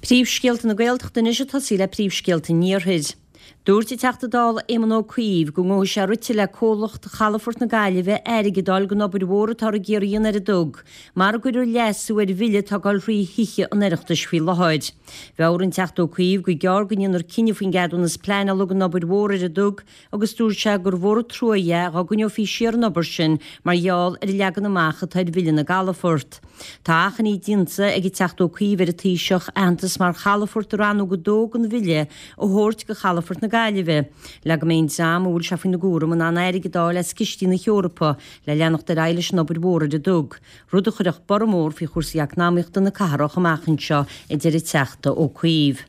Príomhscéalta na Gaeltachta anois ag tosaí le príomhscéalta an Iarthair. Dúirt an Teachta Dála Éamon Ó Cuív go ngabhfaidh sé rite le comhlacht Chalafort na Gaillimhe airgead a fháil don obair mhór atáthar ag iarraidh a dhéanamh ar an dTug, mara gcuirfear leasú ar bhille atá ag dul thrí Thithe an Oireachtais faoi láthair. Mheabhraigh an Teachta Ó Cuív gur gearr go ndéanfar cinneadh faoin gceadúnas pleanála don obair mhór ar an dTug agus dúirt sé gur mhór an trua é dhá gcoinneofaí siar an obair sin mar gheall ar an leagan amach atá ar Bhille na gCalafort. Tá achainí déanta ag an Teachta Ó Cuív ar an Taoiseach aitheantas mar chalafort i Rannóg 2 den Bhille a thabhairt do Chalafort na Gaillimhe le go mbeidh an dream a bhfuil sé faoina gcúram in ann airgead a fháil as cistí na hEorpa le leanacht ar aghaidh leis an obair mhór ar an dTug, rud a chuirfeadh borradh mór faoi chúrsaí eacnamaíochta na cathrach amach anseo, a deir an Teachta Ó Cuív.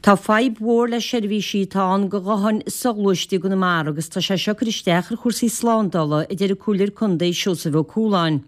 Tá fadhb mhór le seirbhísí atá ann do ghutháin soghluaiste i gConamara agus tá sé seo ag cur isteach ar chúrsaí slándála, a deir an Comhairleoir Contae Seosamh Ó Cualáin.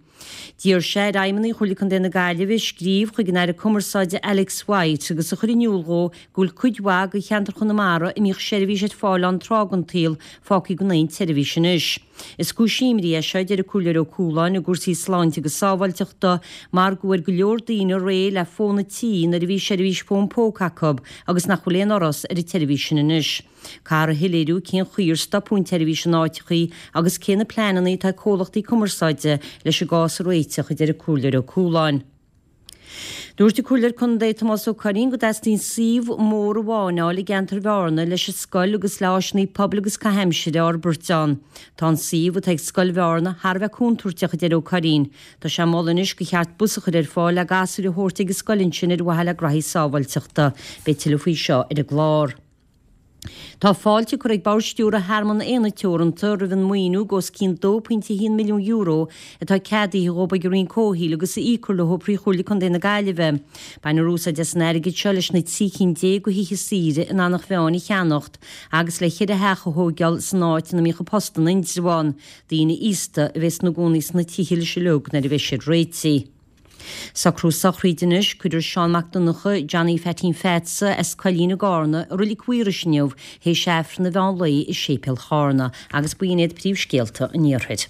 D'iarr sé ar fheidhmeannaigh Chomhairle Contae na Gaillimhe scríobh chuig an Aire Cumarsáide Alex White agus a chur in iúl dhó go bhfuil cuid mhaith de cheantar Chonamara a mbíodh seirbhís ar fáil ann tráth den tsaol fágtha gan aon tseirbhís anois. Is cúis imní é seo, a deir an Comhairleoir Ó Cualáin, i gcúrsaí sláinte agus sábháilteachta mar go bhfuair go leor daoine réidh le fón an tí nuair a bhí seirbhís fón póca acu agus nach bhfuil aon fhoras ar an tseirbhís sin anois. Caithfear a shoiléiriú cén chaoi ar stopadh an tseirbhís in áiteachaí agus cé na pleananna atá ag comhlachtaí cumarsáide leis an gcás a réiteach, a deir an Comhairleoir Ó Cualáin. Dúirt an Comhairleoir Contae Tomás Ó Curraoin go dteastaíonn suíomh mór amháin a fháil i gceantar Bhearna leis an scoil agus le áiseanna pobail agus caitheamh aimsire a fhorbairt ann. Tá an suíomh atá ag Scoil Bhearna thar a bheith contúirteach, a deir Ó Curraoin. Tá sé ag moladh anois gur cheart bus a chur ar fáil le gasúir a thabhairt ag an scoil ansin ar mhaithe le graithí sábháilteachta. Beidh tuilleadh faoi seo ar an gclár. Tá fáilte curtha ag Bord Stiúrtha Thearmann Éanna Teoranta roimh an maoiniú de os cionn €2.1 milliún atá ceadaithe dhóibh ag an Roinn Comhshaoil agus a íocfar leo trí Chomhairle Contae na Gaillimhe. Bainfear úsáid as an airgead seo leis na 13 cinn de thithe saoire in Eanach Mheáin a cheannacht agus le cheithre theach a thóigeáil san áit ina mbíodh an post in Indreabhán. Daoine aosta a bheas ina gcónaí sna tithe uilig nuair a bheidh siad réitithe. Socrú sochraide anois, Cuirfear Seán Mac Donncha, Johnny Pheaitín Pheaits, as Coillín i gCarna, i Roilig Mhaorais inniu, théis Aifreann an mheán lae i Séipéal Charna, agus b'in iad príomhscéalta an Iarthair.